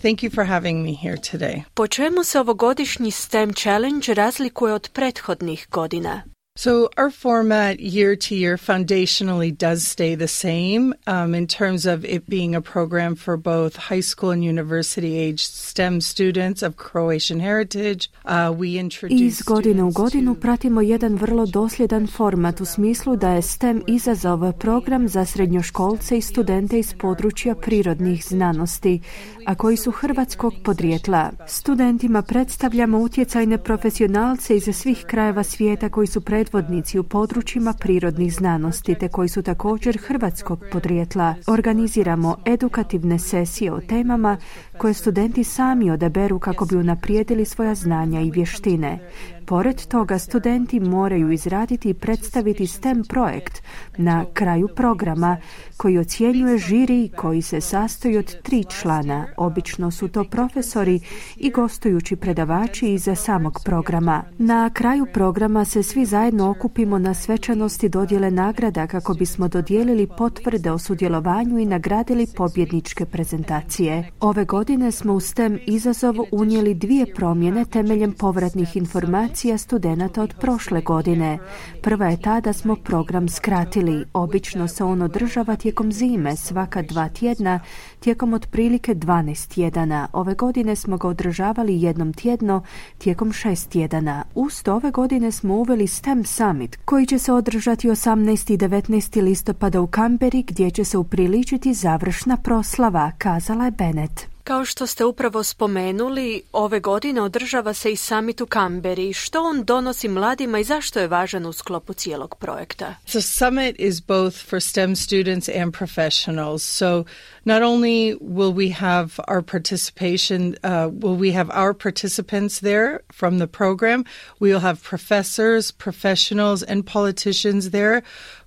thank you for having me here today. Po čemu se ovogodišnji S T E M Challenge razlikuje od prethodnih godina? So our format year to year foundationally does stay the same um, in terms of it being a program for both high school and university age S T E M students of Croatian heritage. Uh, we introduce Iz godine u godinu pratimo jedan vrlo dosljedan format u smislu da je S T E M izazov program za srednjoškolce i studente iz područja prirodnih znanosti, a koji su hrvatskog podrijetla. Studentima predstavljamo utjecajne profesionalce iz svih krajeva svijeta koji su predvodnici u područjima prirodnih znanosti te koji su također hrvatskog podrijetla. Organiziramo edukativne sesije o temama koje studenti sami odaberu kako bi unaprijedili svoja znanja i vještine. pored toga studenti moraju izraditi i predstaviti STEM projekt na kraju programa koji ocjenjuje žiri koji se sastoji od tri člana. Obično su to profesori i gostujući predavači iza samog programa. Na kraju programa se svi zajedno okupimo na svečanosti dodjele nagrada kako bismo dodijelili potvrde o sudjelovanju i nagradili pobjedničke prezentacije. Ove godine smo u STEM izazov unijeli dvije promjene temeljem povratnih informacija studenata od prošle godine. Prva je ta da smo program skratili. Obično se on održava tijekom zime, svaka dva tjedna, tijekom otprilike dvanaest tjedana. Ove godine smo ga održavali jednom tjedno, tijekom šest tjedana. Uz to ove godine smo uveli STEM Summit, koji će se održati osamnaestog i devetnaestog listopada u Kamberi, gdje će se upriličiti završna proslava, kazala je Bennett. Kao što ste upravo spomenuli, ove godine održava se i summit u Kamberi. Što on donosi mladima i zašto je važan u sklopu cijelog projekta? The summit is both for STEM students and professionals. So not only will we have our participation, uh, will we have our participants there from the program, we will have professors, professionals, and politicians there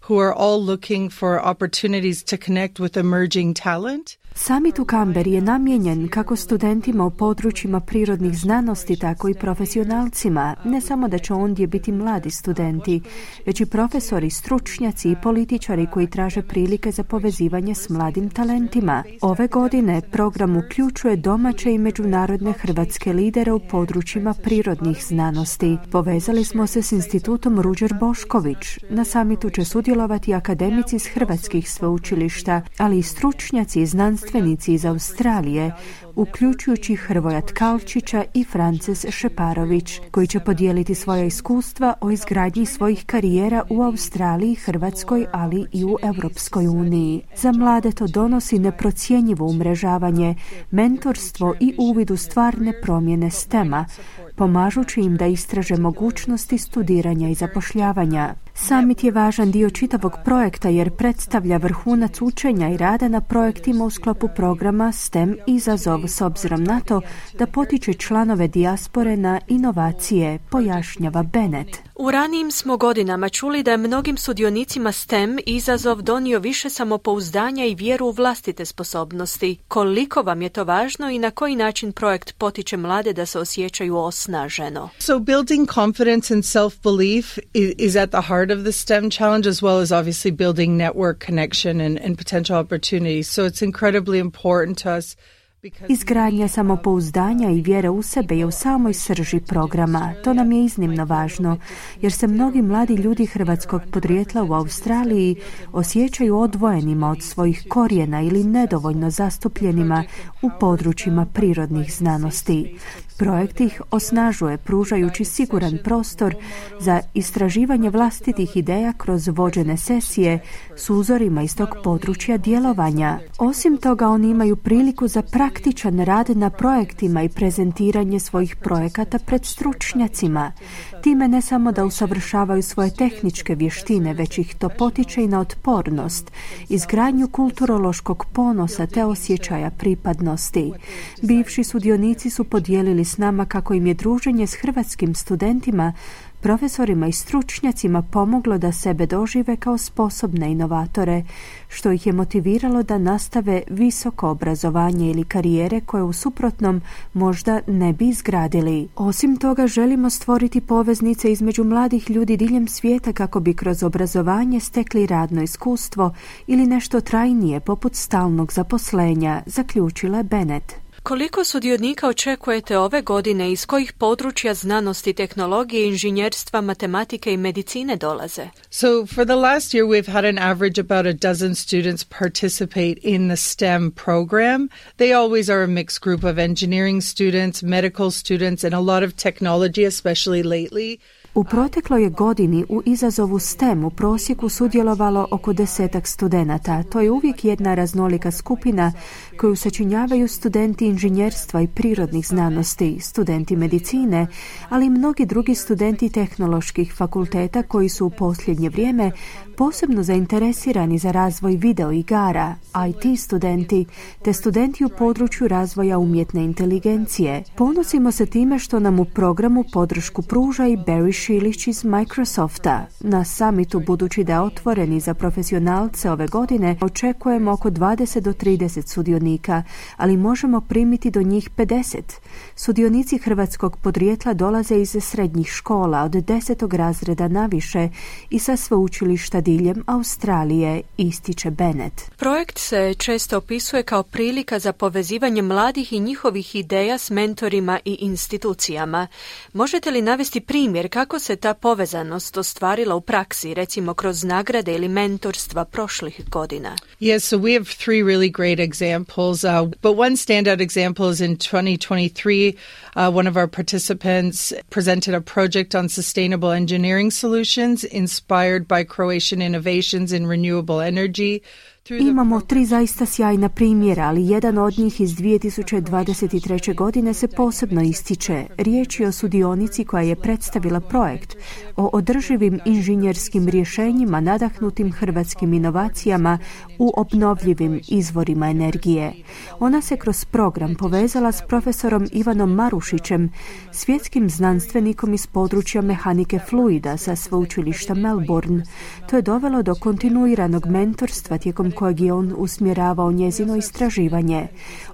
who are all looking for opportunities to connect with emerging talent. Summit u Kamberi je namijenjen kako studentima u područjima prirodnih znanosti, tako i profesionalcima. Ne samo da će ondje biti mladi studenti, već i profesori, stručnjaci i političari koji traže prilike za povezivanje s mladim talentima. Ove godine program uključuje domaće i međunarodne hrvatske lidere u područjima prirodnih znanosti. Povezali smo se s institutom Ruđer Bošković. Na summitu će sudjelovati akademici iz hrvatskih sveučilišta, ali i stručnjaci i znanstvenici iz Australije, uključujući Hrvoja Tkalčića i Frances Šeparović, koji će podijeliti svoja iskustva o izgradnji svojih karijera u Australiji, Hrvatskoj, ali i u Europskoj uniji. Za mlade to donosi neprocjenjivo umrežavanje, mentorstvo i uvid u stvarne promjene STEM-a, pomažući im da istraže mogućnosti studiranja i zapošljavanja. Summit je važan dio čitavog projekta jer predstavlja vrhunac učenja i rada na projektima u sklopu programa STEM izazov s obzirom na to da potiče članove dijaspore na inovacije, pojašnjava Bennett. U ranijim smo godinama čuli da je mnogim sudionicima STEM izazov donio više samopouzdanja i vjeru u vlastite sposobnosti. Koliko vam je to važno i na koji način projekt potiče mlade da se osjećaju osnaženo? So building confidence and self-belief is, is at the heart of the STEM challenge, as well as obviously building network connection and, and potential opportunities. So it's incredibly important to us. Izgradnja samopouzdanja i vjere u sebe je u samoj srži programa. To nam je iznimno važno, jer se mnogi mladi ljudi hrvatskog podrijetla u Australiji osjećaju odvojenima od svojih korijena ili nedovoljno zastupljenima u područjima prirodnih znanosti. Projekt ih osnažuje, pružajući siguran prostor za istraživanje vlastitih ideja kroz vođene sesije s uzorima iz tog područja djelovanja. Osim toga, oni imaju priliku za praktičan rad na projektima i prezentiranje svojih projekata pred stručnjacima. Time ne samo da usavršavaju svoje tehničke vještine, već ih to potiče i na otpornost, izgradnju kulturološkog ponosa te osjećaja pripadnosti. Bivši sudionici su podijelili s nama kako im je druženje s hrvatskim studentima, profesorima i stručnjacima pomoglo da sebe dožive kao sposobne inovatore, što ih je motiviralo da nastave visoko obrazovanje ili karijere koje u suprotnom možda ne bi izgradili. Osim toga, želimo stvoriti poveznice između mladih ljudi diljem svijeta kako bi kroz obrazovanje stekli radno iskustvo ili nešto trajnije poput stalnog zaposlenja, zaključila je Bennett. Koliko sudionika očekujete ove godine, iz kojih područja znanosti, tehnologije, inženjerstva, matematike i medicine dolaze? So for the last year we've had an average about a dozen students participate in the STEM program. They always are a mixed group of engineering students, medical students, and a lot of technology, especially lately. U protekloj je godini u izazovu STEM u prosjeku sudjelovalo oko desetak studenata. To je uvijek jedna raznolika skupina koju sačinjavaju studenti inženjerstva i prirodnih znanosti, studenti medicine, ali i mnogi drugi studenti tehnoloških fakulteta koji su u posljednje vrijeme posebno zainteresirani za razvoj video igara, I T studenti, te studenti u području razvoja umjetne inteligencije. Ponosimo se time što nam u programu podršku pruža i Barry Šilić iz Microsofta. Na summitu, budući da je otvoreni za profesionalce ove godine, očekujemo oko dvadeset do trideset sudionika, ali možemo primiti do njih pedeset. Sudionici hrvatskog podrijetla dolaze iz srednjih škola od desetog razreda naviše i sa sveučilišta diljem Australije, ističe Bennett. Projekt se često opisuje kao prilika za povezivanje mladih i njihovih ideja s mentorima i institucijama. Možete li navesti primjer kako se ta povezanost ostvarila u praksi, recimo kroz nagrade ili mentorstva prošlih godina? Yes, so we have three really great examples, uh, but one standout example is in twenty twenty-three. Uh, one of our participants presented a project on sustainable engineering solutions inspired by Croatian innovations in renewable energy. Imamo tri zaista sjajna primjera, ali jedan od njih iz dvije tisuće dvadeset treće. godine se posebno ističe. Riječ je o sudionici koja je predstavila projekt o održivim inženjerskim rješenjima nadahnutim hrvatskim inovacijama u obnovljivim izvorima energije. Ona se kroz program povezala s profesorom Ivanom Marušićem, svjetskim znanstvenikom iz područja mehanike fluida sa sveučilišta Melbourne. To je dovelo do kontinuiranog mentorstva tijekom kojeg je on usmjeravao njezino istraživanje.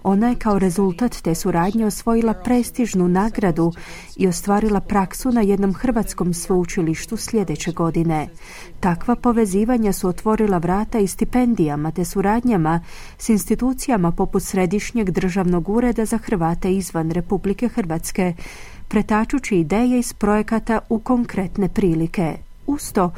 Ona je kao rezultat te suradnje osvojila prestižnu nagradu i ostvarila praksu na jednom hrvatskom sveučilištu sljedeće godine. Takva povezivanja su otvorila vrata i stipendijama te suradnjama s institucijama poput Središnjeg državnog ureda za Hrvate izvan Republike Hrvatske, pretačući ideje iz projekata u konkretne prilike. Uz to,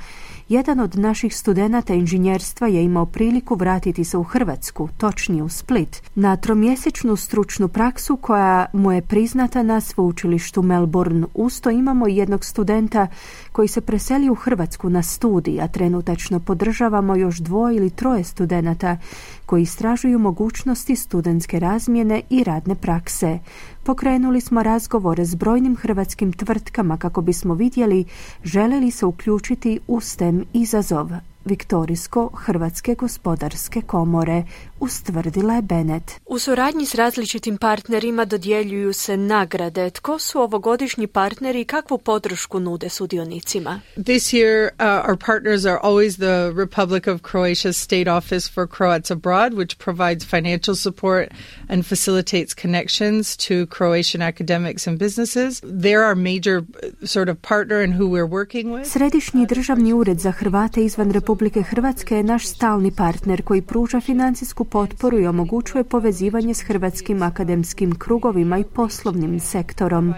jedan od naših studenata inženjerstva je imao priliku vratiti se u Hrvatsku, točnije u Split, na tromjesečnu stručnu praksu koja mu je priznata na sveučilištu Melbourne. Uz to imamo jednog studenta koji se preseli u Hrvatsku na studij, a trenutačno podržavamo još dvoje ili troje studenata koji istražuju mogućnosti studentske razmjene i radne prakse. Pokrenuli smo razgovore s brojnim hrvatskim tvrtkama kako bismo vidjeli žele li se uključiti u STEM izazov. Viktorijsko-Hrvatske gospodarske komore, ustvrdila je Bennett. U suradnji s različitim partnerima dodjeljuju se nagrade. Tko su ovogodišnji partneri i kakvu podršku nude sudionicima? This year, uh, our partners are always the Republic of Croatia's State Office for Croats Abroad, which provides financial support and facilitates connections to Croatian academics and businesses. They're our major sort of partner and who we're working with. Središnji državni ured za Hrvate izvan Republike Hrvatske je naš stalni partner koji pruža financijsku potporu i omogućuje povezivanje s hrvatskim akademskim krugovima i poslovnim sektorom.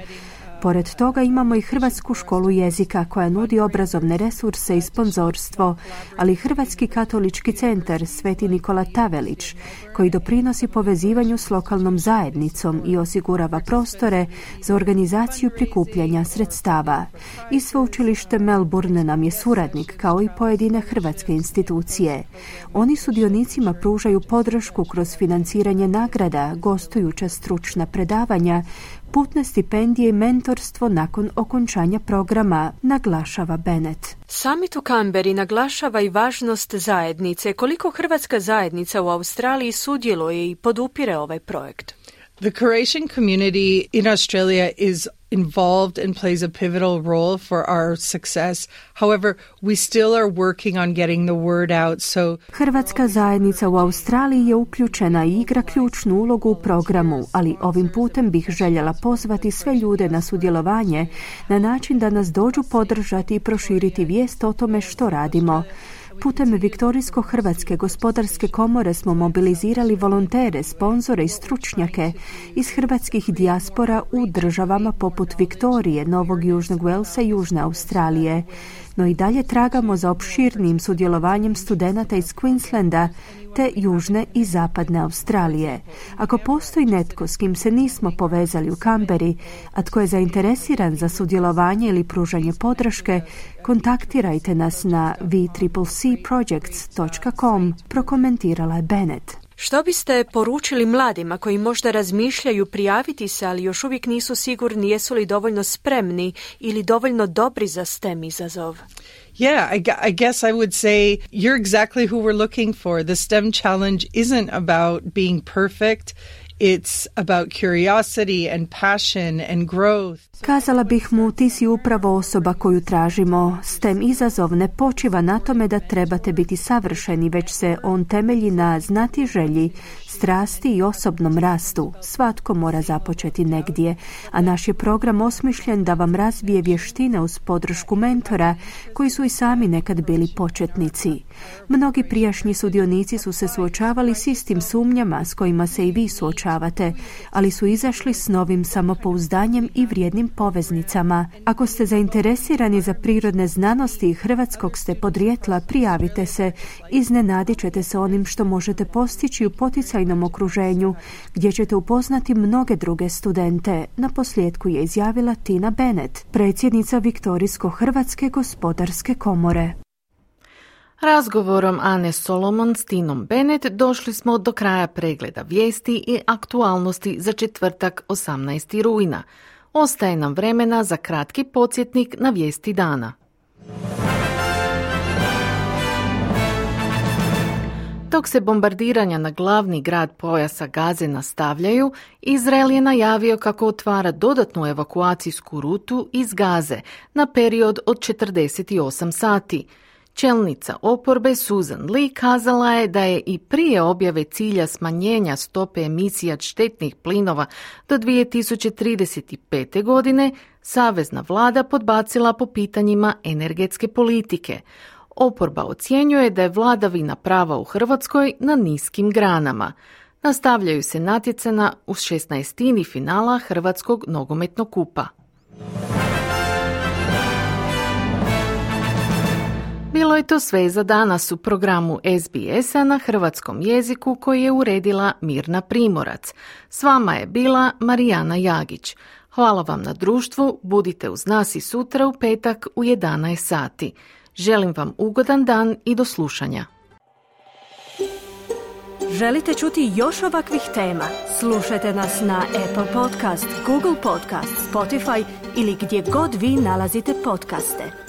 Pored toga imamo i Hrvatsku školu jezika koja nudi obrazovne resurse i sponzorstvo, ali i Hrvatski katolički centar Sveti Nikola Tavelić koji doprinosi povezivanju s lokalnom zajednicom i osigurava prostore za organizaciju prikupljanja sredstava. I sveučilište Melbourne nam je suradnik kao i pojedine hrvatske institucije. Oni sudionicima pružaju podršku kroz financiranje nagrada, gostujuća stručna predavanja, putne stipendije i mentorstvo nakon okončanja programa, naglašava Bennett. Summit u Canberri naglašava i važnost zajednice. Koliko hrvatska zajednica u Australiji sudjeluje i podupire ovaj projekt? The Croatian community in Australia is involved and plays a pivotal role for our success. However, we still are working on getting the word out. So Hrvatska zajednica u Australiji je uključena i igra ključnu ulogu u programu, ali ovim putem bih željela pozvati sve ljude na sudjelovanje na način da nas dođu podržati i proširiti vijest o tome što radimo. Putem Viktorijsko-Hrvatske gospodarske komore smo mobilizirali volontere, sponzore i stručnjake iz hrvatskih dijaspora u državama poput Viktorije, Novog Južnog Velsa i Južne Australije. no i dalje tragamo za opširnim sudjelovanjem studenata iz Queenslanda te južne i zapadne Australije. Ako postoji netko s kim se nismo povezali u Kamberi, a tko je zainteresiran za sudjelovanje ili pružanje podrške, kontaktirajte nas na v c c projects dot com, prokomentirala je Bennett. Što biste poručili mladima koji možda razmišljaju prijaviti se, ali još uvijek nisu sigurni jesu li dovoljno spremni ili dovoljno dobri za STEM izazov? Yeah, I, I guess I would say you're exactly who we're looking for. The STEM challenge isn't about being perfect. It's about curiosity and passion and growth. Kazala bih mu, ti si upravo osoba koju tražimo. STEM izazov ne počiva na tome da trebate biti savršeni, već se on temelji na znatiželji, strasti i osobnom rastu. Svatko mora započeti negdje, a naš je program osmišljen da vam razvije vještine uz podršku mentora koji su i sami nekad bili početnici. Mnogi prijašnji sudionici su se suočavali s istim sumnjama s kojima se i vi suočavate, ali su izašli s novim samopouzdanjem i vrijednim poveznicama. Ako ste zainteresirani za prirodne znanosti i hrvatskog ste podrijetla, prijavite se. Iznenadit ćete se onim što možete postići u poticajnom okruženju, gdje ćete upoznati mnoge druge studente. Na posljedku je izjavila Tina Bennett, predsjednica Viktorijsko-hrvatske gospodarske komore. Razgovorom Ane Solomon s Tinom Bennett došli smo do kraja pregleda vijesti i aktualnosti za četvrtak osamnaestog rujna. Ostaje nam vremena za kratki podsjetnik na vijesti dana. Dok se bombardiranja na glavni grad pojasa Gaze nastavljaju, Izrael je najavio kako otvara dodatnu evakuacijsku rutu iz Gaze na period od četrdeset osam sati. Čelnica oporbe Susan Lee kazala je da je i prije objave cilja smanjenja stope emisija štetnih plinova do dvije tisuće trideset pete. godine savezna vlada podbacila po pitanjima energetske politike. Oporba ocjenjuje da je vladavina prava u Hrvatskoj na niskim granama. Nastavljaju se natjecanja u šesnaestini finala Hrvatskog nogometnog kupa. Bilo je to sve za danas u programu S B S-a na hrvatskom jeziku koji je uredila Mirna Primorac. S vama je bila Marijana Jagić. Hvala vam na društvu, budite uz nas i sutra u petak u jedanaest sati. Želim vam ugodan dan i do slušanja. Želite čuti još ovakvih tema? Slušajte nas na Apple Podcast, Google Podcast, Spotify ili gdje god vi nalazite podcaste.